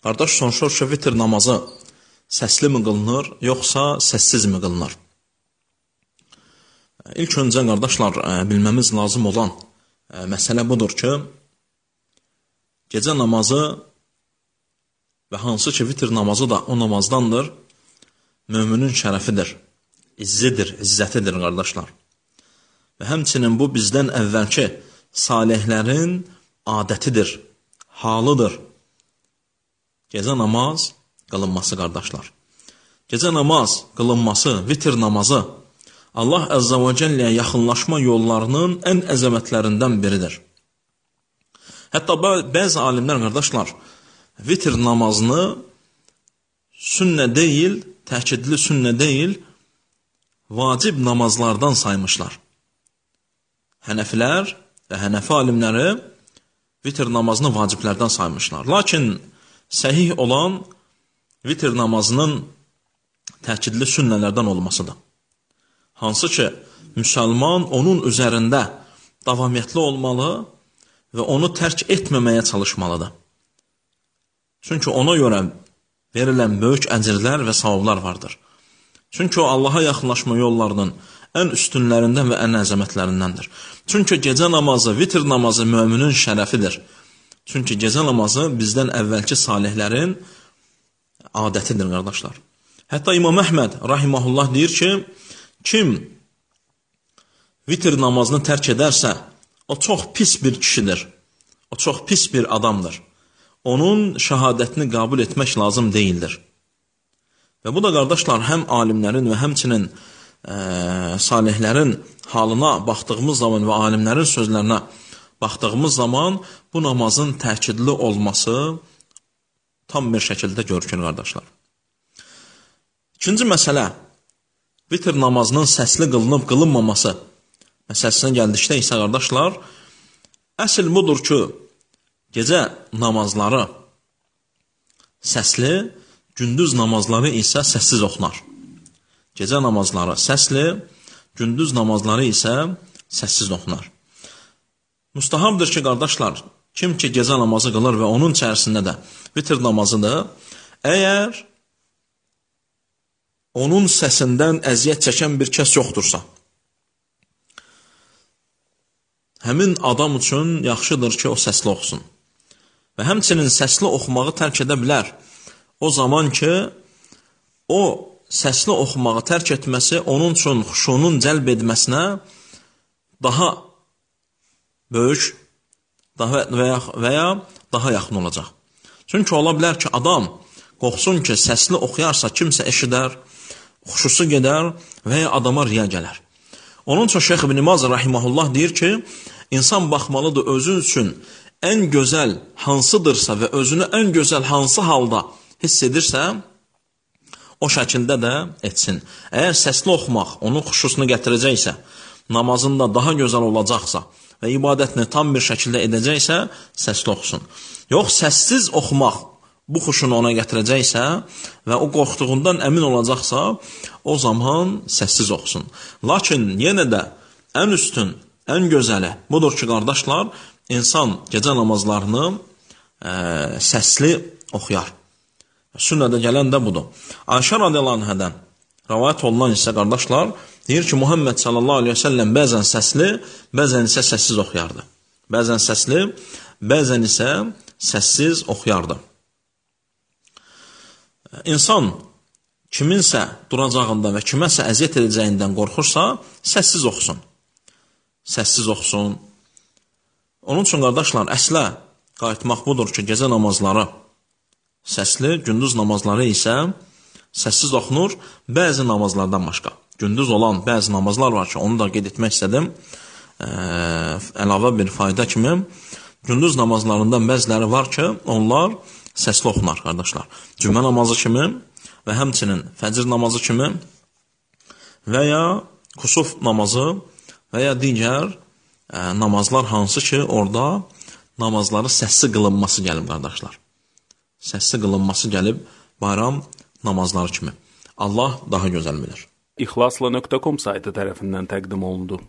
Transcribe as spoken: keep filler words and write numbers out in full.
Qardaş, soruşur ki, vitr namazı səsli mi qılınır, yoxsa səssiz mi qılınır? İlk öncə, qardaşlar, bilməmiz lazım olan məsələ budur ki, gecə namazı və hansı ki, vitr namazı da o namazdandır, müminin şərəfidir, izzidir, izzətidir, qardaşlar. Və həmçinin bu bizdən əvvəlki salihlərin adətidir, halıdır. Gecə namaz qılınması, qardaşlar. Gecə namaz qılınması, vitr namazı Allah Əzzə və Cəlləyə yaxınlaşma yollarının ən əzəmətlərindən biridir. Hətta bəzi alimlər, qardaşlar, vitr namazını sünnə deyil, təkidli sünnə deyil, vacib namazlardan saymışlar. Hənəfilər və hənəfi alimləri vitr namazını vaciblərdən saymışlar. Lakin səhih olan vitr namazının təkidli sünnələrdən olmasıdır. Hansı ki, müsəlman onun üzərində davamiyyətli olmalı və onu tərk etməməyə çalışmalıdır. Çünki ona görə verilən böyük əcrlər və savablar vardır. Çünki o, Allaha yaxınlaşma yollarının ən üstünlərindən və ən əzəmətlərindəndir. Çünki gecə namazı, vitr namazı müminin şərəfidir. Çünki gecə namazı bizdən əvvəlki salihlərin adətidir, qardaşlar. Hətta İmam Əhməd rahiməhullah deyir ki, kim vitr namazını tərk edərsə, o çox pis bir kişidir, o çox pis bir adamdır. Onun şəhadətini qəbul etmək lazım deyildir. Və bu da, qardaşlar, həm alimlərin və həmçinin e, salihlərin halına baxdığımız zaman və alimlərin sözlərinə baxdığımız zaman bu namazın təkidli olması tam bir şəkildə görükür, qardaşlar. İkinci məsələ, vitr namazının səsli qılınıb qılınmaması məsələsinə gəldikdə isə, qardaşlar, əsl budur ki, gecə namazları səsli, gündüz namazları isə səssiz oxunar. Gecə namazları səsli, gündüz namazları isə səssiz oxunar. Müstahabdır ki, qardaşlar, kim ki gecə namazı qılır və onun içərisində də vitr namazıdır, əgər onun səsindən əziyyət çəkən bir kəs yoxdursa, həmin adam üçün yaxşıdır ki, o səsli oxusun. Və həmçinin səsli oxumağı tərk edə bilər. O zaman ki, o səsli oxumağı tərk etməsi onun üçün xuşunun cəlb edməsinə daha böyük daha və ya, və ya daha yaxın olacaq. Çünki ola bilər ki, adam qorxsun ki, səsli oxuyarsa kimsə eşidər, xuşusu gedər və ya adama riya gələr. Onun üçün Şeyx İbn Baz rahimehullah deyir ki, insan baxmalıdır özü üçün ən gözəl hansıdırsa və özünü ən gözəl hansı halda hiss edirsə, o şəkildə də etsin. Əgər səsli oxumaq onun xuşusunu gətirəcəksə, namazında daha gözəl olacaqsa və ibadətini tam bir şəkildə edəcəksə, səsli oxusun. Yox, səssiz oxumaq bu xuşunu ona gətirəcəksə və o qorxduğundan əmin olacaqsa, o zaman səssiz oxusun. Lakin yenə də ən üstün, ən gözəli budur ki, qardaşlar, insan gecə namazlarını ə, səsli oxuyar. Sünnədə gələn də budur. Ayşə radiyallahu anhadan rəvayət olunan isə, qardaşlar, deyir ki, Muhammed sallallahu aleyhi ve sellem bəzən səsli, bəzən isə səssiz oxuyardı. Bəzən səsli, bəzən isə səssiz oxuyardı. İnsan kiminsə duracağında və kiməsə əziyyət edəcəyindən qorxursa, səssiz oxusun. Səssiz oxusun. Onun üçün, qardaşlar, əslə qayıtmaq budur ki, gecə namazları səsli, gündüz namazları isə səssiz oxunur, bəzi namazlardan başqa. Gündüz olan bəzi namazlar var ki, onu da qeyd etmək istədim, ə, əlavə bir fayda kimi. Gündüz namazlarından bəziləri var ki, onlar səsli oxunar, qardaşlar. Cümə namazı kimi və həmçinin fəcr namazı kimi və ya kusuf namazı və ya digər ə, namazlar hansı ki, orada namazları səsli qılınması gəlib, qardaşlar. Səsli qılınması gəlib bayram namazları kimi. Allah daha gözəl bilir. İxlasla nöqtə com saytı tərəfindən təqdim olundu.